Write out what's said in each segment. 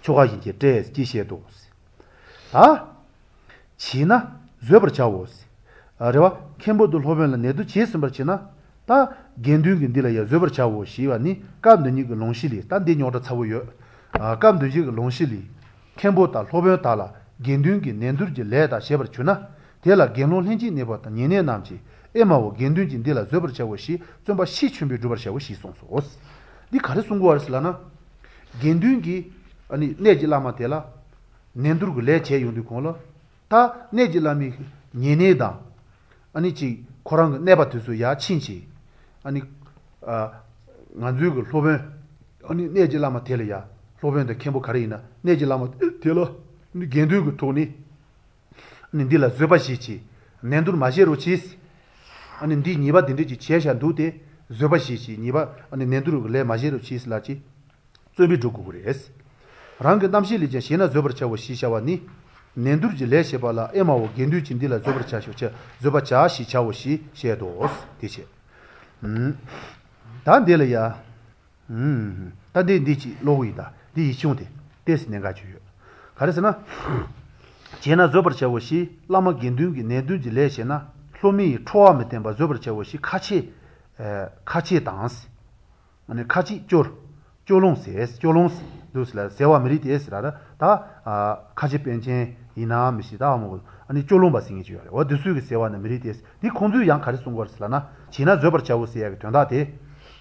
ཆོ་ག་བཞིན་གྱིས་བསྐྲད་ཅེས་བཤད་དོ། ད། བྱས་ན་བཟོད་པར་བྱའོ། རེ་བ། མཁན་པོ་དང་སློབ་དཔོན་ལ་ནན་ཏུར་བྱས་ཟིན་པར་བྱེད་ན། ད། དགེ་འདུན་གྱིས་འདི་ལ་ཡང་བཟོད་པར་བྱའོ་ཞེས་པ་ནི་སྐབས་འདི་ཉིད་ཀྱི་ལུང་གཞི་ལས་ད་འདི་རྙོག་དྲ་ཚ་བོ་ཡོད། སྐབས་འདི་ཉིད་ཀྱི་ལུང་གཞི་ལས། མཁན་པོ་དང་སློབ་དཔོན་དག་ལ་དགེ་འདུན་གྱིས་ནན་ཏུར་གྱི་ལས་དག་བྱེད་པར་གྱུར་ན། དེ་ལ་དགེ་སློང་ལྷན་ཅིག་གནས་པ་དང་ཉེ་གནས་རྣམས་ཀྱིས་ཨེ་མའོ་དགེ་འདུན་གྱིས་འདི་ལ་བཟོད་པར་བྱའོ་ཞེས་བརྩོན་པ་ཤས་ཆེན་པོས་བསྒྲུབ་པར་བྱའོ་ཞེས་གསུངས་སོ། འདི་ག་རེ་གསུང་གི་ཡོད་རེད་ལབ་ན། དགེ་འདུན་གྱིས། གནས་ཀྱི་བླ་མ་དེ་ལ། ནན་ཏུར་གྱི་ལས་བྱས་ཡོང་དུས་གོང་ལ། ད་གནས་ཀྱི་བླ་མའི་ཉེ་གནས་དང། ཨ་ནི་ཅིག་ཁོ་རང་གི་གནས་པ་དེ་ཚོ་ཡར་ཕྱིན་བྱས། ཨ་ནི། ང་ཚོའི་གི་སློབ་དཔོན། ཨ་ནི་གནས་ཀྱི་བླ་མ་དེ་ལ་ཡ། སློབ་དཔོན་དང་མཁན་པོ་ག་རེ་ཡིན་ན་གནས་ཀྱི་བླ་མ་དེ་ལ། དགེ་འདུན་གྱི་ཐོག་ནས། ཨ་ནི་འདི་ལ་བཟོད་པ་བཞེས་ཅིག། ནན་ཏུར་མ་བྱེད་རོགས་གྱིས། ཨ་ནི་འདིས་ཉེས་པ་འདི་འདྲ་ཅིག་བྱས་བཞག་འདུག་སྟེ། བཟོད་པ་བཞེས་ཅིག་ཉེས་པ་ཨ་ནི་ནན་ཏུར་གྱི་ལས་མ་བྱེད་རོགས་གྱིས་ལབ་བྱས། བརྩོན་པས་བསྒྲུབ་དགོས་ཀྱི་རེད། རང་གི་རྣམ་བཤད་ལས་ཀྱང་བྱས་ན་བཟོད་པར་བྱའོ་ཞེས་བྱ་བ་ནི། ནན་ཏུར་གྱི་ལས་བྱེད་པ་ལ་ཨེ་མའོ་དགེ་འདུན་གྱིས་འདི་ལ་བཟོད་པར་བྱ་ཞེས་བཟོད་པ་བྱ་ཞེས་བྱའོ་ཞེས་བཤད་དོ། དེ་བྱས། ད་འདི་ལ་ཡ། ད་འདི་འདི་ཅིག་ཀློག་གི་ཡིན་ད་འདི་ཡིག་ཆུང་དེ་ཏོག་ཙམ་གནད་འགག་ཅིག་ཡོད། ག་རེ་ཟེར་ན། བྱས་ན་བཟོད་པར་བྱའོ་ཞེས་བླ་མ་དགེ་འདུན་གྱིས་ནན་ཏུར་གྱི་ལས་བྱེད་ན་སློབ་མས་ཁྲོ་བ་མི་བསྟེན་པར་བཟོད་པར་བྱའོ་ཞེས་ཁ་ཆེ། ཁ་ཆེ་དང། ཁ་ཅིག་སྐྱོ། སྐྱོ་ལུང་ཟེར། སྐྱོ་ལུང། འདུག་ཟེར་ལ་ཟེར་བ་མི་རིགས་ཏེ་ཟེར། ད། ཁ་ཆེ་པན་ཆེན་ཡིན་ནའང་མི་ཤེས་ད་མོ། སྐྱོ་ལུང་པ་ཟེར་མཁན་ཅིག་ཡོད་རེད་འོ་དེ་ཚོས་ཀྱིས་ཟེར་བ་ནི་མི་རིགས་ཏེ། འདི་ཁོང་ཚོས་ཡང་ག་རེ་གསུང་གི་ཡོད་རེད་ཟེར་ལབ་ན། བྱས་ན་བཟོད་པར་བྱའོ་ཟེར་ཡ་གི་དོན་དག་དེ།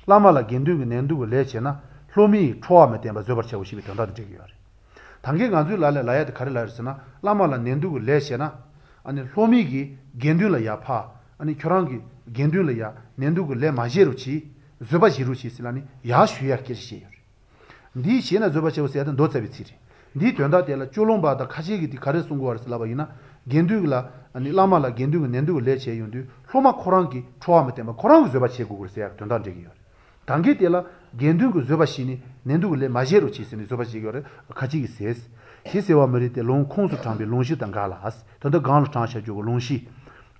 བླ་མ་ལ་དགེ་འདུན་གྱིས་ནན་ཏུར་གྱི་ལས་བྱས་ན། སློབ་མས་ཁྲོ་བ་མི་བསྟེན་པར་བཟོད་པར་བྱའོ་ཞེས་པའི་དོན་དག་དེ་འགྲིག་གི་ཡོད་རེད། ད་གིན་ང་ཚོའི་ལ་ལས་ལབ་ཡ་དེ་ག་རེ་ལབ་ཡོད་རེད་ཟེར་ན། བླ་མ་ལ་ནན་ཏུར་གྱི་ལས་བྱས་ན། སློབ་མས་ཀྱིས་དགེ་འདུན་ལ་ཡ་ཕ། ཁྱོད་རང་གིས་དགེ་འདུན་ལ་ཡ་ནན་ཏུར་གྱི་ལས་མ་བྱེད་རོགས་གྱིས། བཟོད་པ་བཞེས་རོགས་གྱིས་ཟེར་ལབ་ནས་ཡར་ཞུ་ཡར་སྐད་ཆ་བཤད་ཡོད་རེད། འདིའི་བྱས་ན་བཟོད་པ་བྱའོ་ཟེར་ཡ་དེ་མདོ་རྩ་བའི་ཚིག་རེད། འདིའི་དོན་དག་དེ་ལ་སྐྱོ་ལུང་པ་དང་ཁ་ཤས་ཀྱིས་དེ་ག་རེ་གསུང་གི་ཡོད་རེད་ཟེར་ལབ་པ་ཡིན་ན། དགེ་འདུན་གྱི་ལ། བླ་མ་ལ་དགེ་འདུན་གྱིས་ནན་ཏུར་གྱི་ལས་བྱས་ཡོང་དུས་སློབ་མ་ཁོ་རང་གིས་ཁྲོ་བ་མི་བསྟེན་པར་ཁོ་རང་གིས་བཟོད་པ་བྱེད་དགོས་ཀྱི་རེད་ཟེར་ཡ་དོན་དག་འགྲེལ་གྱི་ཡོད་རེད། ད་གིན་དེ་ལ་དགེ་འདུན་གྱིས་བཟོད་པ་བཞེས་ནས་ནན་ཏུར་གྱི་ལས་མ་བྱེད་རོགས་གྱིས་ཟེར་ནས་བཟོད་པ་བཞེས་ཀྱི་ཡོད་རེད་ཁ་ཅིག་གིས་ཟེར། ཞེས་ཟེར་བ་མི་རིགས་ཏེ་ལུང་ཁུངས་སུ་དྲངས་པའི་ལུང་གཞི་དང་འགལ་ལ། དོན་དུ་གོང་ལ་དྲངས་བཞག་རྒྱུ་གི་ལུང་གཞི།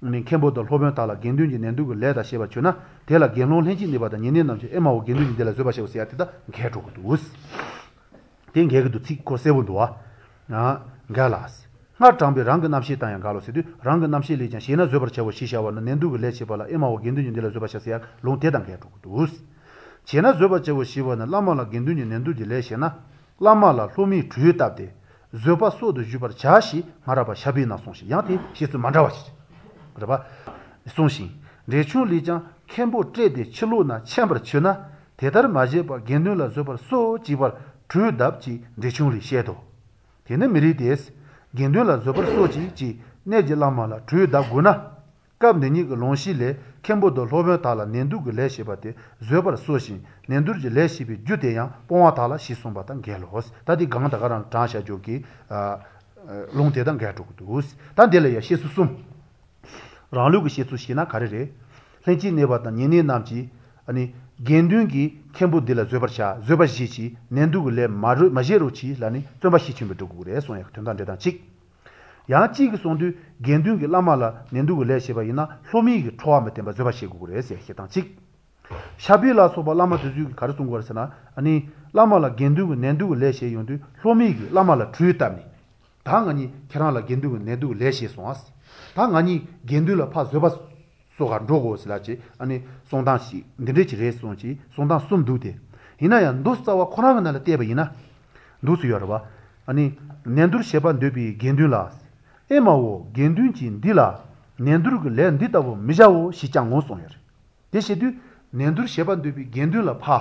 ནི་མཁན་པོ་དང་སློབ་དཔོན་དག་ལ་དགེ་འདུན་གྱིས་ནན་ཏུར་གྱི་ལས་དག་བྱེད་པར་གྱུར་ན་དེ་ལ་དགེ་སློང་ལྷན་ཅིག་གནས་པ་དང་ཉེ་གནས་རྣམས་ཀྱིས་ཨེ་མའོ་དགེ་འདུན་གྱིས་འདི་ལ་བཟོད་པ་བྱའོ་ཟེར་ཡ་དེ་དང་འགལ་འགྲོ་གི་འདུག། དེ་འགལ་གྱི་འདུག་ཚིག་གོ་གསལ་པོ་འདུག་ཨ། འགལ་ལ། སྔར་དྲངས་པའི་རང་གི་རྣམ་བཤད་དང་ཡང་འགལ་ལོ་ཟེར་དུས་རང་གི་རྣམ་བཤད་ལས་ཀྱང་བྱས་ན་བཟོད་པར་བྱའོ་ཞེས་བྱ་བ་ནི་ནན་ཏུར་གྱི་ལས་བྱེད་པ་ལ་ཨེ་མའོ་དགེ་འདུན་གྱིས་འདི་ལ་བཟོད་པ་བྱ་ཟེར་ཡ་ལུང་དེ་དང་འགལ་འགྲོ་གི་འདུག། བྱས་ན་བཟོད་པར་བྱའོ་ཞེས་པ་ནི་བླ་མ་ལ་དགེ་འདུན་གྱིས་ནན་ཏུར་གྱི་ལས་བྱེད་ན། བླ་མ་ལ་སློབ་མས་གྲོས་བཏབ་སྟེ། བཟོད་པ་གསོལ་དུ་གཞུག་པར་བྱ་ཞེས་སྔ་རབས་པ་ཞབས་པད་ནང་གསུངས་ཤིང་ཡང་དེ་བཤད་ཚུལ་མ་འདྲ་བ་ཞིག་རེད་པ། གསུངས་ཤིང། འགྲེལ་ཆུང་ལས་ཀྱང་མཁན་པོ་བསྐྲད་དེ་ཕྱིར་ལོག་ན་འཕྱན་པར་འཆོས་ན་དེ་ལྟར་མ་བྱས་པར་དགེ་འདུན་ལ་བཟོད་པར་གསོལ་ཅིག་པར་གྲོས་གདབ་ཅེས་འགྲེལ་ཆུང་ལས་བཤད་དོ། དེ་ནི་མི་རིགས་ཏེ། དགེ་འདུན་ལ་བཟོད་པར་གསོལ་ཅིག་ཅེས་གནས་ཀྱི་བླ་མ་ལ་གྲོས་གདབ་དགོས་ན། སྐབས་འདི་ཉིད་ཀྱི་ལུང་གཞི་ལས་མཁན་པོ་དང་སློབ་དཔོན་དག་ལ་ནན་ཏུར་གྱི་ལས་བྱེད་པ་དེ་བཟོད་པར་གསོལ་ཞིང་ནན་ཏུར་གྱི་ལས་བྱེད་པའི་རྒྱུ་དེ་ཡང་སྤོང་བ་དག་ལ་ཞེས་གསུངས་པ་དང་འགལ་ལོ། ད་འདི་གང་ད་ག་རང་དྲངས་བཞག་འཇོག་གི། ལུང་དེ་དང་འགལ་འགྲོ་གི་འདུག་ད་འདི་ལ་ཡང་བཤད་ཚུལ་གསུམ། རང་ལུགས་ཀྱི་བཤད་ཚུལ་བཤད་ན་ག་རེ་རེད། ལྷན་ཅིག་གནས་པ་དང་ཉེ་གནས་རྣམས་ཀྱིས། དགེ་འདུན་གྱིས་མཁན་པོ་འདི་ལ་བཟོད་པར་བྱ་བཟོད་པ་བཞེས་ཀྱིས་ནན་ཏུར་གྱི་ལས་མ་བྱེད་རོགས་གྱིས་ལབ་ནས་བརྩོན་པ་ཤས་ཆེན་པོས་སྒྲུབ་དགོས་རེད་གསུངས་ཡག་དོན་དག་འགྲེལ་སྟངས་གཅིག། ཡང་གཅིག་གིས་གསུངས་དུས་དགེ་འདུན་གྱིས་བླ་མ་ལ་ནན་ཏུར་གྱི་ལས་བྱེད་པ་ཡིན་ན་སློབ་མས་ཀྱིས་ཁྲོ་བ་མི་བསྟེན་པར་བཟོད་པ་བཞེས་དགོས་ཀྱི་རེད་ཟེར་བཤད་སྟངས་གཅིག། ཞབས་པད་ལ་སོགས་པ་བླ་མ་དེ་ཚོས་ཀྱིས་ག་རེ་གསུང་གི་ཡོད་རེད་ཟེར་ན། ནི། བླ་མ་ལ་དགེ་འདུན་གྱིས་ནན་ཏུར་གྱི་ལས་བྱེད་ཡོང་དུས་སློབ་མས་ཀྱིས་བླ་མ་ལ་གྲོས་བཏབ་ནས། ད་ང་གཉིས་ཁྱེད་རང་ལ་དགེ་འདུན་གྱིས་ནན་ཏུར་གྱི་ལས་བྱས་སོང་ཨ། ད་ང་གཉིས་དགེ་འདུན་ལ་ཕར་བཟོད་པ་གསོལ་གར་འགྲོ་དགོས་ཟེར་ལབ་བྱས་ཨ་ནི་གསུང་སྟངས་ཤིག་འདི་འདྲས་ཅིག་རེད་གསུངས་ཀྱིས་གསུང་སྟངས་གསུམ་འདུག་སྟེ། ཡིན་ན་ཡང་མདོ་རྩ་བ་ཁོ་རང་གི་ནང་ལ་བལྟས་པ་ཡིན་ན། འདུག་སུ་ཡོད་རེད་བ། ཨ་ནི། ནན་ཏུར་བྱེད་པར་འདོད་པའི་དགེ་འདུན་ལ། ཨེ་མ་འོ་དགེ་འདུན་གྱིས་འདི་ལ། ནན་ཏུར་གྱི་ལས་འདི་ལྟ་བུ་མི་བྱའོ་ཞེས་ཀྱང་ངོ་གསུངས་ཡོད་རེད། དེ་བྱེད་དུས། ནན་ཏུར་བྱེད་པར་འདོད་པའི་དགེ་འདུན་ལ་ཕ།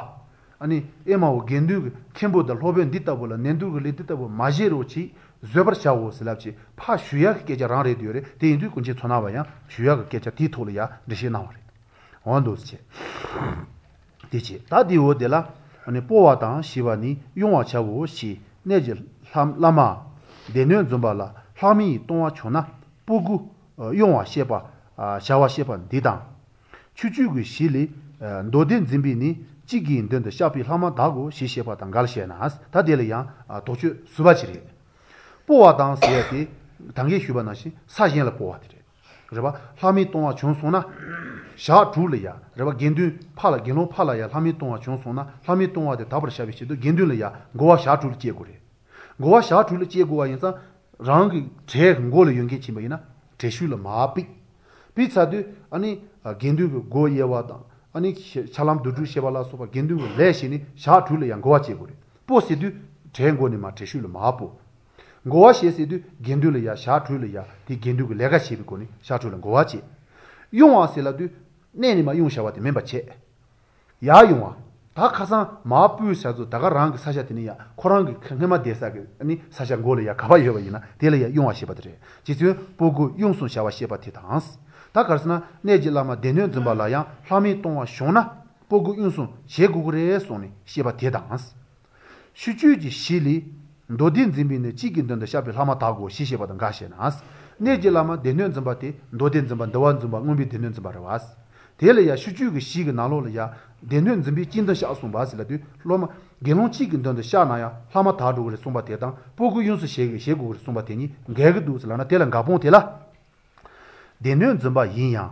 ཨ་ནི། ཨེ་མའོ་དགེ་འདུན་གྱི་མཁན་པོ་དང་སློབ་དཔོན་འདི་ལྟ་བུ་ལ་ནན་ཏུར་གྱི་ལས་འདི་ལྟ་བུ་མ་བྱེད་རོགས་གྱིས་བཟོད་པར་བྱའོ་ཟེར་ལབ་བྱས་ཕར་ཞུ་ཡག་གི་སྐད་ཆ་རང་རེད་འདོད་རེད་དེ་ཡིན་དུས་ཀུན་མཁྱེན་མཚོ་སྣ་བ་ཡང་ཞུ་ཡག་གི་སྐད་ཆ་དེའི་ཐོག་ལ་ཡང་འགྲེལ་བཤད་གནང་བ་རེད། འོ་འདུག་བྱས། དེ་བྱས་ད་དེའི་འོག་དེ་ལ། ཨ་ནི་སྤོ་བ་དང་ཞེས་པ་ནི་དབྱུང་བར་བྱའོ་ཞེས་གནས་ཀྱི་བླ་མ། སྡེ་སྣོད་འཛིན་པ་ལ་ལྷག་མའི་ལྟུང་བ་བྱུང་ན་སྤོ་དགུ། དབྱུང་བ་བཤད་པ། བྱ་བ་བཤད་པ་འདི་དང། ཆོས་སྤྱོད་ཀྱི་གཞི་ལས། མདོ་སྡེ་འཛིན་པས་ནི་གཅིག་གི་མདུན་དུ་བཤགས་པའི་ལྷག་མ་དག་གོ་ཞེས་བཤད་པ་དང་འགལ་ཞེ་ན། ད་དེ་ལ་ཡང་དོགས་གཅོད་ཟུར་པ་ཅིག་རེད། སྤོ་བ་དང་ཟེར་བ་དེ། ད་གིན་ཞུས་པ་ནང་བཞིན་ས་གཞན་ལ་སྤོ་བ་དེ་རེད། རེད་པ། ལྷག་མའི་ལྟུང་བ་བྱུང་སོང་ན། ཞག་དྲུག་ལ་ཡ། རེད་པ་དགེ་འདུན་ཕ་ལ་དགེ་སློང་ཕ་ལ་ཡ་ལྷག་མའི་ལྟུང་བ་བྱུང་སོང་ན་ལྷག་མའི་ལྟུང་བ་དེ་དག་པར་བྱ་བའི་ཆེད་དུ་དགེ་འདུན་ལ་ཡ་བསྒོ་བ་ཞག་དྲུག་ལ་བསྐྱལ་དགོས་རེད། བསྒོ་བ་ཞག་དྲུག་ལ་བྱེད་དགོས་པ་ཡིན་ཙང་རང་གི་གྲལ་མགོ་ལ་ཡོད་མཁན་ཕྱིན་པ་ཡིན་ན་གྲལ་གཞུག་ལ་མར་ཕུད། ཕུད་ཚར་དུས་ཨ་ནི་དགེ་འདུན་གྱི་སྒོ་དབྱེ་བ་དང་ཨ་ནི་བཤང་ལམ་དོང་སྤྲུག་བྱེད་པ་ལ་སོགས་པ་དགེ་འདུན་གྱི་ལས་བྱས་ནས་ཞག་དྲུག་ལ་ཡང་བསྒོ་བ་བྱེད་དགོས་རེད་སྤོ་ཟེར་དུས་གྲལ་མགོ་ནས་མར་གྲལ་གཞུག་ལ་མར་སྤོ། བསྒོ་བ་བྱེད་ཟེར་དུས་དགེ་འདུན་ལ་ཡང་ཞག་དྲུག་ལ་ཡང་དེ་དགེ་འདུན་གྱི་ལས་ཀ་བྱེད་པའི་སྒོ་ནས་ཞག་དྲུག་ལ་བསྒོ་བ་བྱེད། དབྱུང་བ་ཟེར་ལབ་དུས་གནས་ནས་མར་དབྱུང་བྱ་བ་དེ་མིན་པ་བྱེད། ཡར་དབྱུང་བ། ད་ཁ་སང་མར་སྤོས་བྱ་ཚོ་ད་ག་རང་གི་ས་ཆ་དེ་ནས་ཡ་ཁོ་རང་གི་སྔན་མ་བསྡད་ས་གི་ནི་ས་ཆ་མགོ་ལ་ཡ་ག་པར་ཡོད་པ་ཡིན་ན་དེ་ལ་ཡ་དབྱུང་བ་ཞེས་པ་དེ་རེད་རྗེ་བཙུན་སྤོ་སྒོ་དབྱུང་སོང་བྱ་བ་བཤད་པ་དེ་དང། ད་ག་རེ་ཟེར་ན་གནས་ཀྱི་བླ་མ་སྡེ་སྣོད་འཛིན་པ་ལ་ཡང་ལྷག་མའི་ལྟུང་བ་བྱུང་ན་སྤོ་སྒོ་དབྱུང་སོང་བྱེད་དགོས་ཀྱི་རེད་གསུངས་ནས་བཤད་པ་དེ་དང། ཕྱིར་བཅོས་ཀྱི་གཞི་ལས། མདོ་སྡེ་འཛིན་པས་ནི་གཅིག་གི་མདུན་དུ་བཤགས་པའི་ལྷག་མ་དག་གོ་ཞེས་བཤད་པ་དང་འགལ་ཞེ་ན། གནས་ཀྱི་བླ་མ་སྡེ་སྣོད་འཛིན་པ་དེ་མདོ་སྡེ་འཛིན་པ་འདུལ་བ་འཛིན་པ་མངོན་པའི་སྡེ་སྣོད་འཛིན་པ་རེད་བ། དེ་ལ་ཡང་ཕྱིར་བཅོས་ཀྱི་གཞི་གི་ནང་ལོགས་ལ་ཡང་སྡེ་སྣོད་འཛིན་པས་གཅིག་མདུན་བཤགས་གསུངས་པ་ཟེར་ལབ་དུས་སློབ་མ། དགེ་སློང་གཅིག་གི་མདུན་དུ་བཤགས་ན་ཡང་ལྷག་མ་དག་འགྲོ་གི་རེད་གསུངས་པ་དེ་དང་སྤོ་སྒོ་དབྱུང་སོ་བྱེད་དགོས་ཀྱི་རེད་གསུངས་པ་དེ་གཉིས་འགལ་གྱི་འདུག་ཟེར་ལབ་ན་དེ་ལ་འགལ་སྤོང་དེ་ལ། སྡེ་སྣོད་འཛིན་པ་ཡིན་ཡང།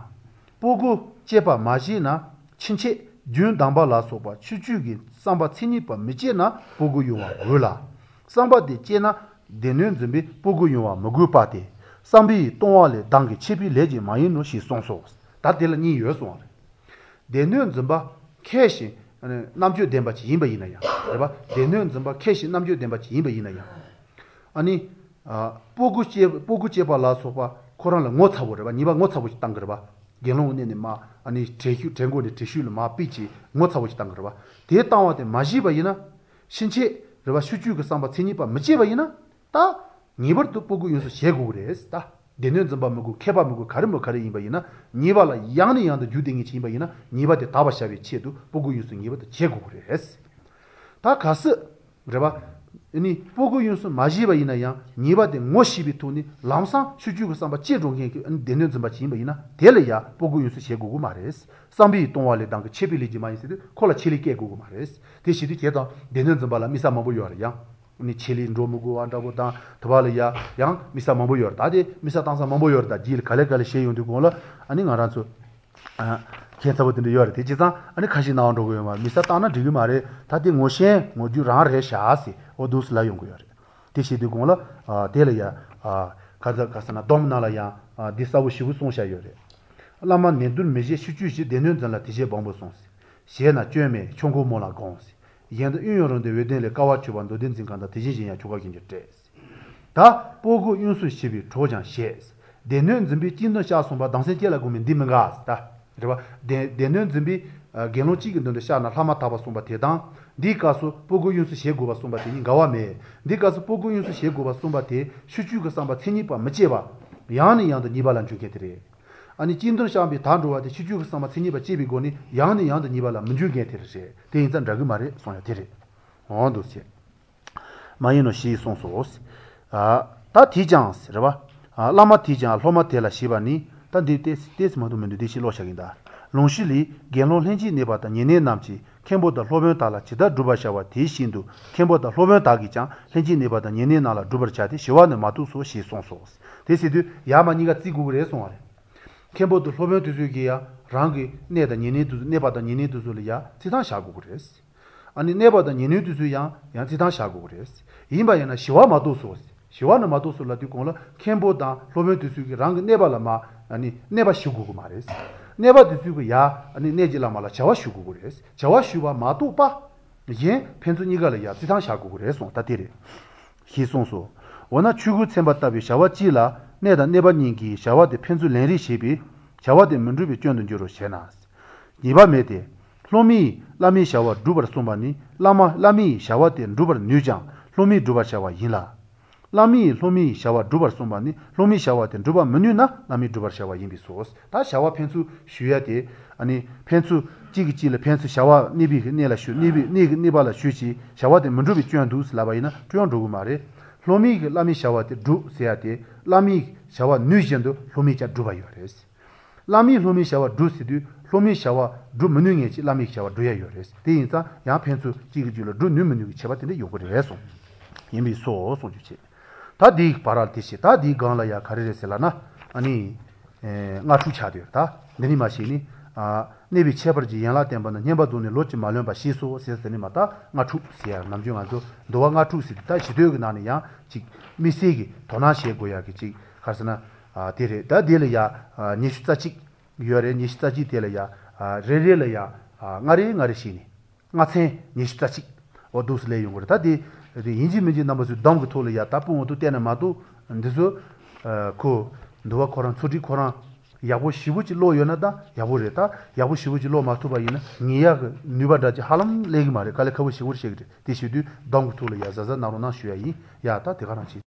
སྤོ་བགོ་བཅས་པ་མ་བྱས་ན་ཕྱིན་ཆད་རྒྱུན་བསྡམས་པ་ལ་སོགས་པ་ཕྱིར་བཅོས་ཀྱི་བསམ་པ་མཚན་ཉིད་པ་མི་བསྐྱེད་ན་སྤོ་བགོ་དབྱུང་བ་དགོས་ལ། བསམ་པ་དེ་བསྐྱེད་ན་སྡེ་སྣོད་འཛིན་པས་སྤོ་བགོ་དབྱུང་བ་མི་དགོས་པ་སྟེ། བསམ་པའི་ལྟུང་བ་ལས་ལྡང་གི་ཆད་པའི་ལས་ཀྱིས་མ་ཡིན་ནོ་ཞེས་གསུངས་སོ། ད་དེ་ལ་གཉིས་ཡོད་གསུང་བ་རེད། སྡེ་སྣོད་འཛིན་པ་མཁས་ཤིང་རྣམ་དཔྱོད་ལྡན་པ་ཅིག་ཡིན་པ་ཡིན་ན་ཡང། རེད་པ། སྡེ་སྣོད་འཛིན་པ་མཁས་ཤིང་རྣམ་དཔྱོད་ལྡན་པ་ཅིག་ཡིན་པ་ཡིན་ན་ཡང། ཨ་ནི། སྤོ་བགོ་བཅད་སྤོ་བགོ་བཅད་པ་ལ་སོགས་པ་ཁོ་རང་ལ་ངོ་ཚ་བོ་རེད་པ་ཉེས་པ་ངོ་ཚ་བོ་ཞིག་བཏང་གི་རེད་པ། དགེ་སློང་གི་གནས་ནས་མར་ཨ་ནི་གྲལ་གཞུག་གྲལ་མགོ་ནས་གྲལ་གཞུག་ལ་མར་ཕུད་བྱས་ངོ་ཚ་བོ་ཞིག་བཏང་གི་རེད་པ། དེ་བཏང་བ་དེ་མ་ཞི་བ་ཡིན་ན། ཕྱིན་ཆད་རེད་པ་ཕྱིར་བཅོས་ཀྱི་བསམ་པ་མཚན་ཉིད་པ་མི་བྱེད་པ་ཡིན་ན། ད། ངེས་པར་དུ་སྤོ་བགོ་དབྱུང་གསོ་བྱེད་དགོས་ཀྱི་རེད་ད། སྡེ་སྣོད་འཛིན་པ་མི་དགོས་མཁས་པ་མི་དགོས་ག་རེ་མི་ག་རེ་ཡིན་པ་ཡིན་ན་ཉེས་པ་ལ་ཡང་ནས་ཡང་དུ་འཇུག་བསྡད་མཁན་ཅིག་ཡིན་པ་ཡིན་ན་ཉེས་པ་དེ་དག་པར་བྱ་བའི་ཆེད་དུ་སྤོ་བགོ་དབྱུང་གསོ་ངེས་པར་དུ་བྱེད་དགོས་ཀྱི་རེད། ད་གལ་སྲིད། རེད་པ། ནི་སྤོ་བགོ་དབྱུང་གསོ་མ་བྱས་པ་ཡིན་ན་ཡང་ཉེས་པ་དེ་ངོ་ཤེས་པའི་ཐོག་ནས་ལམ་སང་ཕྱིར་བཅོས་ཀྱི་བསམ་པ་སྐྱེས་འགྲོ་མཁན་གྱི་སྡེ་སྣོད་འཛིན་པ་ཅིག་ཡིན་པ་ཡིན་ན་དེ་ལ་ཡང་སྤོ་བགོ་དབྱུང་གསོ་བྱེད་དགོས་ཀྱི་མ་རེད། བསམ་པའི་ལྟུང་བ་ལས་ལྡང་གི་ཆད་པའི་ལས་ཀྱིས་མ་ཡིན་ཟེར་དུས་ཁོ་ལ་ཆད་ལས་བཀལ་དགོས་ཀྱི་མ་རེད། དེ་བྱེད་དུས་ཁྱེད་དང་སྡེ་སྣོད་འཛིན་པ་ལ་དམིགས་བསལ་མང་པོ་ཡོད་རེད་ཡང། ནི་ཆད་ལས་འགྲོ་མི་དགོས་བ་འདྲ་པོ་དང་དུ་བ་ལ་ཡ་ཡང་དམིགས་བསལ་མང་པོ་ཡོད་རེད་ད་དེ་དམིགས་བསལ་བཏང་ས་མང་པོ་ཡོད་རེད་ད་རྗེས་ལ་ག་ལེ་ག་ལེ་བྱེད་ཡོང་དུས་གོང་ལ་ཨ་ནི་ང་རང་ཚོ། ཁྱད་མཚར་པོ་དེ་འདྲ་ཡོད་རེད་དེ་བྱས་ཙང་ཨ་ནི་ཁ་ཤས་སྣང་བ་འགྲོ་གི་ཡོད་མ་རེད་དམིགས་བསལ་བཏང་ན་འགྲིག་གི་མ་རེད་ད་དེ་ངོ་ཤེས་ངོ་རྒྱུ་རང་རེད་ཤག་ཟེར་འོ་འདུག་སེ་ལབ་ཡོང་གི་ཡོད་རེད་དེ་བྱེད་དུས་གོང་ལ་དེ་ལ་ཡ། ག་ཚ་ག་ས་ན་སྡོམ་ནང་ལ་ཡང་འདི་གསལ་པོ་ཞེ་པོ་གསུངས་བཞག་ཡོད་རེད། བླ་མ་ནན་ཏུར་མི་བྱེད་ཕྱིར་བཅོས་བྱེད་སྡེ་སྣོད་འཛིན་ལ་དེ་བྱེད་བམ་པོར་གསུངས། བྱས་ན་སྐྱོན་མེད་ཆོས་འཁོར་མང་ལ་དགོངས། གཞན་དུ་དབྱུང་ཡང་རུང་སྟེ་འོད་ལྡན་ལས་དཀའ་བ་སྤྱོད་པ་མདོ་སྡེ་འཛིན་གང་དག་དེ་བཞིན་གཞན་ཡང་ཆོ་ག་གཞན་གྱིས་སྤྲས། ད་སྤོ་བགོ་དབྱུང་གསོ་བྱེད་པའི་གྲོགས་ཀྱང་བྱེད། སྡེ་སྣོད་འཛིན་པས་གཅིག་མདུན་བཤགས་གསུངས་པ་སྡང་སེམས་སྐྱེ་ལ་དགོངས་པས་འདི་མི་འགལ། རེད་པ། སྡེ་སྣོད་འཛིན་པས་དགེ་སློང་གཅིག་གི་མདུན་དུ་བཤགས་ན་ལྷག་མ་དག་པར་གསུངས་པ་དེ་དང། འདིའི་སྐབས་སུ་སྤོ་བགོ་དབྱུང་གསོ་བྱེད་དགོས་པར་གསུངས་པ་དེ་གཉིས་འགལ་བ་མེད། འདིའི་སྐབས་སུ་སྤོ་བགོ་དབྱུང་གསོ་བྱེད་དགོས་པར་གསུངས་པ་དེ་ཕྱིར་བཅོས་ཀྱི་བསམ་པ་མཚན་ཉིད་པ་མི་སྐྱེ་བ། ཡང་ནས་ཡང་དུ་ཉེས་པ་ལ་འཇུག་མཁན་དེ་རེད། ཨ་ནི་གཅིག་མདུན་བཤགས་པས་དག་འགྲོ་བ་དེ་ཕྱིར་བཅོས་ཀྱི་བསམ་པ་མཚན་ཉིད་པ་སྐྱེས་པའི་སྒོ་ནས་ཡང་ནས་ཡང་དུ་ཉེས་པ་ལ་མི་འཇུག་མཁན་དེ་རེད། དེ་ཡིན་ཙང་འདྲ་གི་མ་རེད་གསུངས་ཡ་དེ་རེད། འོ་འདུག་བྱས། མ་ཡིན་ནོ་ཞེས་གསུངས་སོ། ད་དེས་ཀྱང། རེད་པ། བླ་མ་དེས་ཀྱང་སློབ་མ་དེ་ལ་ཞེས་པ་ནི། ད་འདི་ཏོག་ཙམ་མ་གཏོགས་མི་འདུག་འདི་ཕྱིར་ལོག་བྱ་གིན་གདའ། ལུང་གཞི་ལས། དགེ་སློང་ལྷན་ཅིག་གནས་པ་དང་ཉེ་གནས་རྣམས་ཀྱིས་མཁན་པོ་དང་སློབ་དཔོན་དག་ལ་ཇི་ལྟར་བསྒྲུབ་པར་བྱ་བ་དེ་བཞིན་དུ་མཁན་པོ་དང་སློབ་དཔོན་དག་གིས་ཀྱང་ལྷན་ཅིག་གནས་པ་དང་ཉེ་གནས་རྣམས་ལ་བསྒྲུབ་པར་བྱ་སྟེ་ཞི་བ་ནི་མ་གཏོགས་སོ་ཞེས་གསུངས་སོ། དེ་ཟེར་དུས་ཡར་མར་གཉིས་ཀ་བརྩི་དགོས་ཀྱི་རེད་གསུངས་བ་རེད། མཁན་པོ་དང་སློབ་དཔོན་དེ་ཚོས་ཀྱིས་ཡང་རང་གི་གནས་དང་ཉེ་གནས་དེ་ཚོ་གནས་པ་དང་ཉེ་གནས་དེ་ཚོ་ལ་ཡང་རྩིས་ཐང་བཞག་དགོས་ཀྱི་རེད། ཨ་ནི་གནས་པ་དང་ཉེ་གནས་དེ་ཚོས་ཡང་ཡང་རྩིས་ཐང་བཞག་དགོས་ཀྱི་རེད། ཡིན་པ་ཡིན་ན་ཞི་བ་མ་གཏོགས་སོ། ཞི་བ་ནི་མ་གཏོགས་སོ་ལབ་དུས་གོང་ལ་མཁན་པོ་དང་སློབ་དཔོན་དེ་ཚོས་ཀྱིས་རང་གི་གནས་པ་ལ་མ་ཨ་ནི་གནས་པ་ཞུ་དགོས་ཀྱི་མ་རེད། གནས་པ་དེ་ཚོས་ཀྱིས་ཡ་ཨ་ནི་གནས་ཀྱི་བླ་མ་ལ་བྱ་བ་ཞུ་དགོས་ཀྱི་རེད། བྱ་བ་ཞུ་བ་མ་གཏོགས་པ། གཞན་ཕན་ཚུན་གཉིས་ཀ་ལ་ཡང་རྩིས་ཐང་བཞག་དགོས་ཀྱི་རེད་གསུངས་ད་དེ་རེད། ཞེས་གསུངས་སོ། འོ་ན་ཆོས་གོས་འཚེམ་པ་ལྟ་བུའི་བྱ་བ་གཅིག་ལ་གནས་དང་གནས་པ་གཉིས་ཀྱིས་བྱ་བ་དེ་ཕན་ཚུན་ལེན་རེས་བྱེད་པས་བྱ་བ་དེ་མི་འགྲུབ་པའི་སྐྱོན་དུ་འགྱུར་རོ་ཞེ་ན། ཉེས་པ་མེད་དེ། སློབ་མས་བླ་མའི་བྱ་བ་བསྒྲུབ་པར་གསུངས་པ་ནི་བླ་མ་བླ་མའི་བྱ་བ་དེ་འགྲུབ་པར་ནུས་ཀྱང་སློབ་མས་བསྒྲུབ་པར་བྱ་བ་ཡིན་ལ། བླ་མས་སློབ་མའི་བྱ་བ་བསྒྲུབ་པར་གསུངས་པ་ནི་སློབ་མའི་བྱ་བ་དེ་འགྲུབ་པར་མི་ནུས་ན་བླ་མས་བསྒྲུབ་པར་བྱ་བ་ཡིན་པས་སོ། ད་བྱ་བ་ཕན་ཚུན་ཞུ་ཡ་དེ། ཕན་ཚུན་གཅིག་གིས་གཅིག་ལ་ཕན་ཚུན་བྱ་བ་གནས་པས་གནས་ལ་ཞུ་གནས་པས་གནས་ཀྱིས་གནས་པ་ལ་ཞུ་ཞེས་བྱ་བ་དེ་མི་འགྲུབ་པའི་སྐྱོན་འདུག་ཟེར་ལབ་པ་ཡིན་ན་སྐྱོན་འགྲོ་གི་མ་རེད། སློབ་མས་བླ་མའི་བྱ་བ་དེ་སྒྲུབ་ཟེར་ཡ་དེ་བླ་མའི་བྱ་བ་ནུས་བཞིན་དུ་སློབ་མས་ཀྱང་སྒྲུབ་པ་ཡོད་རེད། བླ་མས་སློབ་མའི་བྱ་བ་སྒྲུབ་ཟེར་དུས་སློབ་མའི་བྱ་བ་སྒྲུབ་མི་ནུས་མཁན་གྱིས་བླ་མའི་བྱ་བ་སྒྲུབ་ཡ་ཡོད་རེད། དེ་ཡིན་ཙང་ཡང་ཕན་ཚུན་གཅིག་གིས་གཅིག་ལ་སྒྲུབ་ནུས་མི་ནུས་ཀྱི་ཁྱད་པར་དེ་འདྲ་ཡོང་གི་རེད་གསུངས། ཡིན་པས་སོ་གསུངས་རྒྱུ་བྱས། ད་འདིའི་བར་ལ་དེ་བྱས་ད་འདིའི་སྒང་ལ་ཡ་ག་རེ་རེད་ཟེར་ལབ་ན། ཨ་ནི། སྔ་འཁྲུག་ཆགས་དེ་ཡོད་ད་འདི་ནི་མ་ཤེས་ནི། གནས་པའི་ཁྱད་པར་གྱི་ཡན་ལག་བསྟན་པ་ན་བསྙེན་པར་རྫོགས་ནས་ལོ་གཅིག་མ་ལོན་པ་ཞེས་སོ་ཟེར་ཟེར་ནས་མ་ད་ལྔ་ཕྲུགས་ཟེར་ཡ་ནམ་རྒྱུན་ང་ཚོ་འདུལ་བ་ལྔ་ཕྲུགས་ཟེར་དེ་ད་གཞི་དོད་ཀྱི་ནང་ནས་ཡང་ཅིག་དམིགས་བསལ་གྱི་དོ་སྣང་བྱེད་དགོས་ཡ་གི་ཅིག་ག་རེ་ཟེར་ན། དེ་རེད་ད་དེ་ལ་ཡ་ཉི་ཤུ་རྩ་གཅིག་ཡོད་རེད་ཉི་ཤུ་རྩ་གཅིག་དེ་ལ་ཡ་རེ་རེ་ལ་ཡ་ལྔ་རེ་ལྔ་རེ་བྱས་ནས། ལྔ་ཚན་ཉི་ཤུ་རྩ་གཅིག། འོ་འདུག་སེ་སླེབས་ཡོང་གི་རེད་ད་དེ། ཡིན་གཅིག་མིན་གཅིག་རྣམ་པ་ཚོས་སྡོམ་གྱི་ཐོག་ལ་ཡ་ད་སྤུན་འོ་ཐུག་བལྟས་ན་མ་གཏོགས་འདི་ཚོ། ཁོ། འདུལ་བ་ཁོ་རང་ཚོ་སྒྲིག་ཁོ་རང། ཡག་པོ་ཞེ་པོ་ཅིག་ཀློག་ཡོད་ན་ད་ཡག་པོ་རེད་ད། ཡག་པོ་ཞེ་པོ་ཅིག་ཀློག་མ་ཐུབ་པ་ཡིན་ན་ངེས་ཡག་གི་ནུས་པ་འདྲ་ཅིག་ཧ་ལམ་སླེབས་ཀྱི་མ་རེད་དཀའ་ལས་ཁག་པོ་ཞེ་པོ་བཤད་གི་རེད་དེ་བྱེད་དུས་སྡོམ་གྱི་ཐོག་ལ་ཡ་གཟབ་གཟབ་གནང་རོགས་གནང་ཞུ་ཡ་ཡིན་ཡ་ད་དེ་ག་རང་བྱེད།